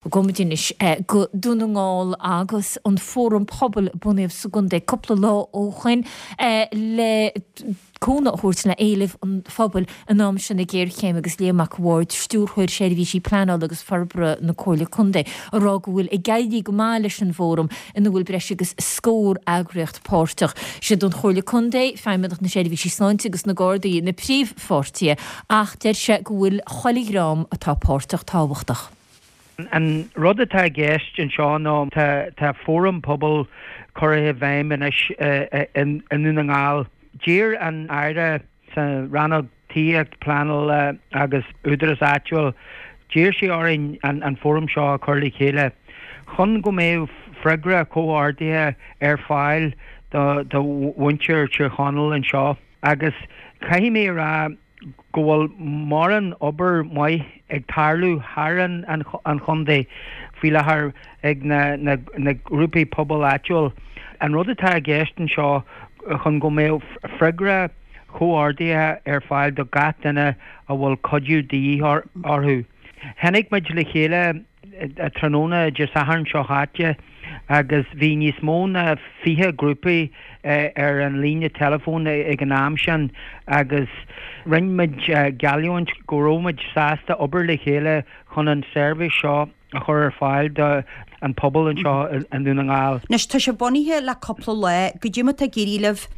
Gabhfaidh muid anois go Dún na nGall agus an Fóram Pobail a bunaíodh sa gcontae cúpla lá ó shoin le cúnamh a thabhairt le éilimh an phobail in am seo na géarchéime agus Liam Mac a' Bhaird, Stiúrthóir Seirbhísí Pleanála agus Forbartha na Comhairle Contae, ag rá go bhfuil ag éirí go maith leis an bhfóram ina bhfuil breis agus scór eagraíocht páirteach. Siad an Chomhairle Contae, Feidhmeannacht na Seirbhísí Sláinte agus na Gardaí na príomhpháirtithe ach deir sé go bhfuil chuile dhream atá páirteach tábhachtach. An rud atá i gceist anseo ná tá fóram pobail curtha i bhfeidhm anois i nDún na nGall. D'iarr an Aire sa Rannóg Tithíocht, Pleanála agus Údarás Áitiúil, d'iarr sí orainn an fóram seo a chur le chéile chun go mbeadh freagra comhordaithe ar fáil do mhuintir Thír Chonaill anseo. Agus caithfidh mé a rá, go bhfuil mórán obair mhaith ag tarlú thar an chontae faoi láthair ag na grúpaí pobail áitiúil. An rud atá i gceist anseo chun go mbeadh freagra chomhordaithe ar fáil do gach duine a bhfuil cuidiú de dhíth orthu. Tháinig muid le chéile tráthnóna Dé Sathairn seo chaite agus bhí níos mó ná 20 grúpaí ar an líne teileafóin ag an am sin agus rinne muid geallúint go raibh muid sásta obair le chéile chun an seirbhís seo a chur ar fáil do an pobal anseo i nDún na nGall. Anois tá sé bunaithe le cúpla lá, goidé mar atá ag éirí libh?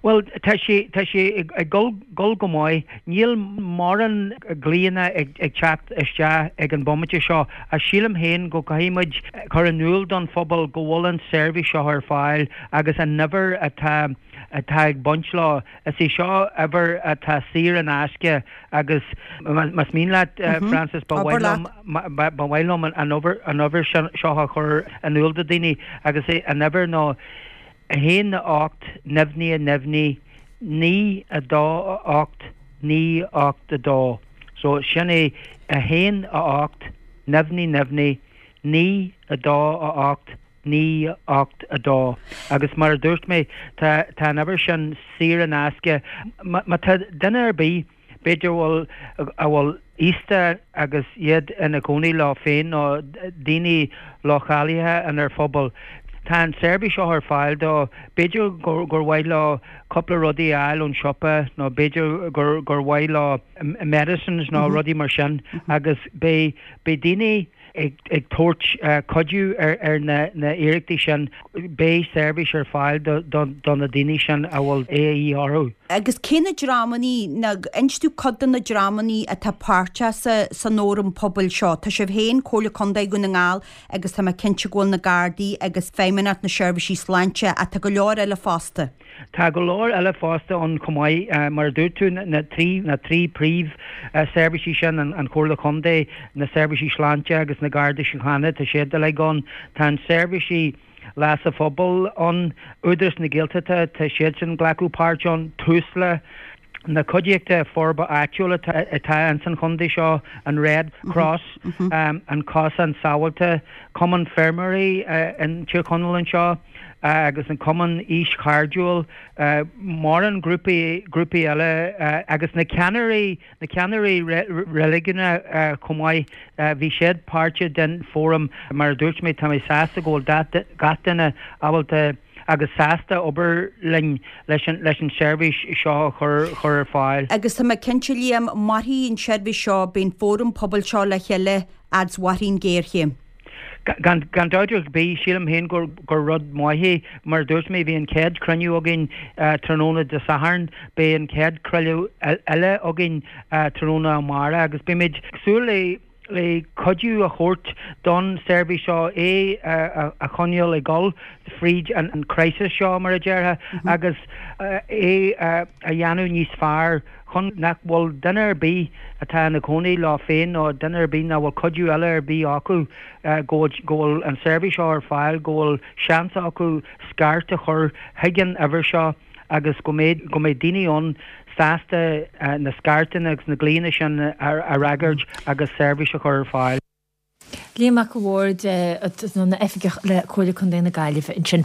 Bhuel, tá sé, tá sé ag dul, dul go maith. Níl mórán glaonna ag teacht isteach ag an bomaite seo ach sílim féin go gcaithfidh muid cur in iúl don phobal go bhfuil an seirbhís seo ar fáil agus an uimhir atá, atá ag baint leo. Is é seo uimhir atá saor in aisce agus más mian leat, Frances, ba mhaith liom, ba mhaith liom an uimhir, an uimhir seo a chur in iúl do daoine agus an uimhir ná. 1 8 neamhní neamhní 9 2 8 9 8 2 So sin é 1 8 neamhní neamhní 9 2 8 9 8 2 Agus mar a dúirt mé tá tá an uimhir sin saor in aisce. Má tá duine ar bith b'fhéidir a bhfuil a bhfuil aosta agus iad ina gcónaí leo féin nó daoine leochaileacha inár phobal. Tá an seirbhís seo ar fáil dó. B'fhéidir gur gur mhaith leo cúpla rudaí a fháil ón siopa nó b'fhéidir gur gur mhaith leo medicines nó rudaí mar sin agus beidh beidh daoine ag tabhairt cuidiú ar na hiarrachtaí sin. Beidh seirbhís ar fáil do na daoine sin a bhfuil a dhíth orthu. Agus cé na dreamannaí, nó inis domh cuid de na dreamannaí atá páirteach san fhóram pobail seo. Tá sibh féin, Comhairle Contae Dhún na nGall agus tá mé cinnte go bhfuil na Gardaí agus Feidhmeannacht na Seirbhísí Sláinte ach tá go leor eile fosta. Tá go leor eile fosta ann chomh maith. Mar a dúirt tú, na trí na trí príomh seirbhísí sin, an Chomhairle Chontae, na Seirbhísí Sláinte agus na Gardaí Síochána, tá siad uilig ann. Tá an seirbhísí leasa phobail ann, Údarás na Gaeltachta, tá siadsan ag glacadh páirt ann, Tusla, na cuideachta forbartha áitiúil atá ins an chontae seo, an Red Cross, an Cosán Sábháilte, Cumann Feirmeoirí in Tír Chonaill anseo agus an Cumann Aois Chairdiúil, mórán grúpaí, grúpaí eile agus na ceannairí, na ceannairí reiligiúnacha chomh maith, bhí siad páirteach den fóram. Mar a dúirt mé, tá mé sásta go bhfuil gach duine ábalta agus sásta obair linn leis an leis an seirbhís seo a chur chur ar fáil. Agus tá mé cinnte, Liam, mairfidh an seirbhís seo, beidh an fóram pobail seo le chéile fhad 's mhairfidh an ghéarchéim. Gan gan dabht ar bith, sílim féin gur gur rud maith é. Mar a dúirt mé, bhí an chéad chruinniú againn tráthnóna Dé Sathairn, beidh an chéad chruinniú eile againn tráthnóna amárach agus beimid ag súil le le cuidiú a thabhairt don seirbhís seo, é a choinneáil ag dul fríd an crisis seo, mar a déarfá, agus é a dhéanamh níos fearr chun nach bhfuil duine ar bith atá ina gcónaí leo féin nó duine ar bith nach bhfuil cuidiú eile ar bith acu, go bhfuil an seirbhís seo ar fáil, go bhfuil seans acu scairt a chur chuig an uimhir seo. agus go mbeidh go mbeidh daoine ann sásta na scairteanna agus na glaonna sin a fhreagairt agus seirbhís a chur ar fáil. Liam Mac a' Bhaird, ina oifigeach le Comhairle Contae na Gaillimhe ansin.